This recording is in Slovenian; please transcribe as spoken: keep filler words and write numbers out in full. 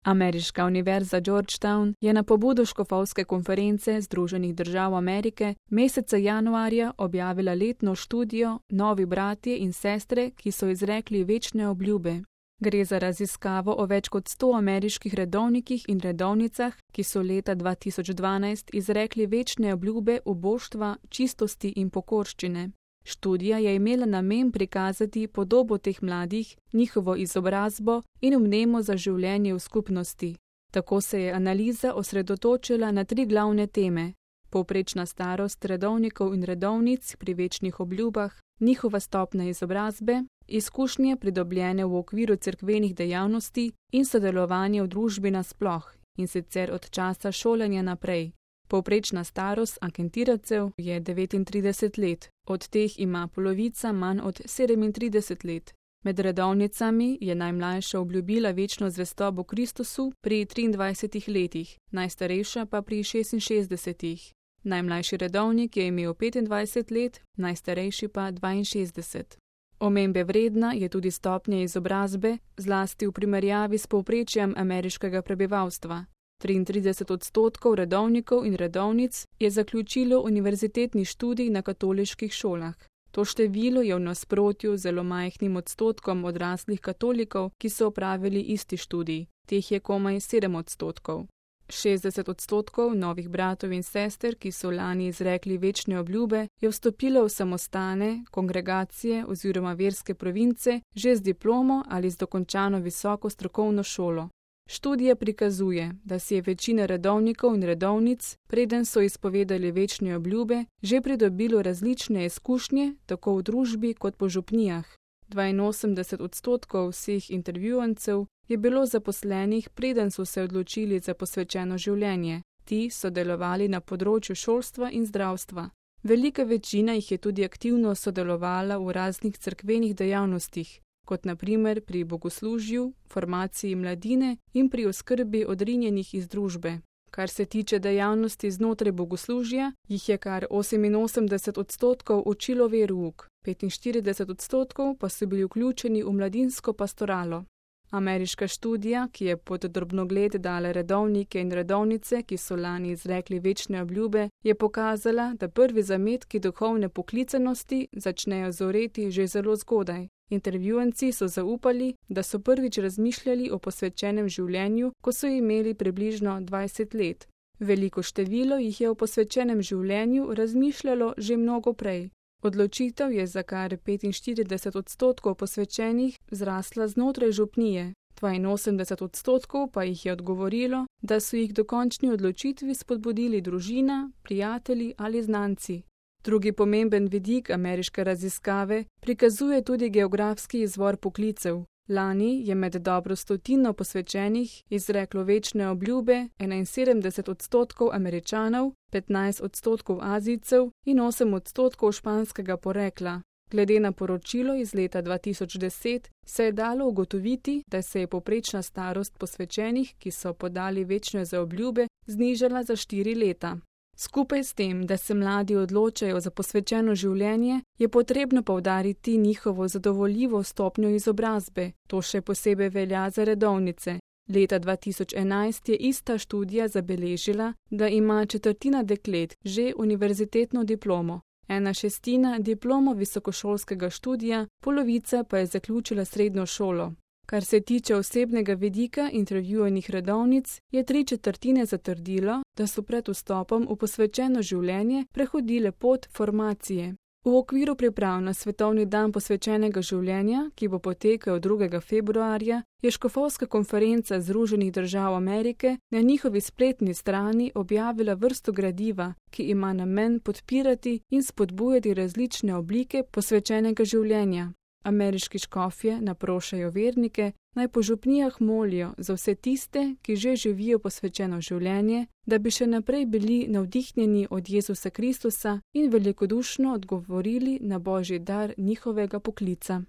Ameriška univerza Georgetown je na pobudo škofovske konference Združenih držav Amerike meseca januarja objavila letno študijo Novi bratje in sestre, ki so izrekli večne obljube. Gre za raziskavo o več kot sto ameriških redovnikih in redovnicah, ki so leta dva tisoč dvanajst izrekli večne obljube uboštva, čistosti in pokorščine. Študija je imela namen prikazati podobo teh mladih, njihovo izobrazbo in vnemo za življenje v skupnosti. Tako se je analiza osredotočila na tri glavne teme: povprečna starost redovnikov in redovnic pri večnih obljubah, njihova stopnja izobrazbe, izkušnje pridobljene v okviru cerkvenih dejavnosti in sodelovanje v družbi nasploh, in sicer od časa šolanja naprej. Povprečna starost anketirancev je devetintrideset let, od teh ima polovica manj od sedemintrideset let. Med redovnicami je najmlajša obljubila večno zvestobo Kristusu pri triindvajsetih letih, najstarejša pa pri šestinšestdesetih. Najmlajši redovnik je imel petindvajset let, najstarejši pa dvainšestdeset. Omembe vredna je tudi stopnja izobrazbe, zlasti v primerjavi s povprečjem ameriškega prebivalstva. triintrideset odstotkov redovnikov in redovnic je zaključilo univerzitetni študij na katoliških šolah. To število je v nasprotju z zelo majhnim odstotkom odraslih katolikov, ki so opravili isti študij. Teh je komaj sedem odstotkov. šestdeset odstotkov novih bratov in sester, ki so lani izrekli večne obljube, je vstopilo v samostane, kongregacije oziroma verske province že z diplomo ali z dokončano visoko strokovno šolo. Študija prikazuje, da si je večina redovnikov in redovnic, preden so izpovedali večne obljube, že pridobilo različne izkušnje, tako v družbi kot po župnijah. dvainosemdeset odstotkov vseh intervjuvancev je bilo zaposlenih, preden so se odločili za posvečeno življenje. Ti so delovali na področju šolstva in zdravstva. Velika večina jih je tudi aktivno sodelovala v raznih cerkvenih dejavnostih, kot na primer pri bogoslužju, formaciji mladine in pri oskrbi odrinjenih iz družbe. Kar se tiče dejavnosti znotraj bogoslužja, jih je kar oseminosemdeset odstotkov učilo verouk, petinštirideset odstotkov pa so bili vključeni v mladinsko pastoralo. Ameriška študija, ki je pod drobnogled dala redovnike in redovnice, ki so lani izrekli večne obljube, je pokazala, da prvi zametki duhovne poklicanosti začnejo zoreti že zelo zgodaj. Intervjuvanci so zaupali, da so prvič razmišljali o posvečenem življenju, ko so imeli približno dvajset let. Veliko število jih je o posvečenem življenju razmišljalo že mnogo prej. Odločitev je za kar petinštirideset odstotkov posvečenih zrasla znotraj župnije, dvainosemdeset odstotkov pa jih je odgovorilo, da so jih do končni odločitvi spodbudili družina, prijatelji ali znanci. Drugi pomemben vidik ameriške raziskave prikazuje tudi geografski izvor poklicev. Lani je med dobro stotino posvečenih izreklo večne obljube enainsedemdeset odstotkov Američanov, petnajst odstotkov Azijcev in osem odstotkov španskega porekla. Glede na poročilo iz leta dva tisoč deset se je dalo ugotoviti, da se je povprečna starost posvečenih, ki so podali večne zaobljube, znižala za štiri leta. Skupaj s tem, da se mladi odločajo za posvečeno življenje, je potrebno poudariti njihovo zadovoljivo stopnjo izobrazbe. To še posebej velja za redovnice. Leta dva tisoč enajst je ista študija zabeležila, da ima četrtina deklet že univerzitetno diplomo, ena šestina diplomo visokošolskega študija, polovica pa je zaključila srednjo šolo. Kar se tiče osebnega vidika intervjuvanih redovnic, je tri četrtine zatrdilo, da so pred vstopom v posvečeno življenje prehodile pot formacije. V okviru priprav na Svetovni dan posvečenega življenja, ki bo potekal drugega februarja, je škofovska konferenca Združenih držav Amerike na njihovi spletni strani objavila vrsto gradiva, ki ima namen podpirati in spodbujati različne oblike posvečenega življenja. Ameriški škofje naprošajo vernike, naj po župnijah molijo za vse tiste, ki že živijo posvečeno življenje, da bi še naprej bili navdihnjeni od Jezusa Kristusa in velikodušno odgovorili na Božji dar njihovega poklica.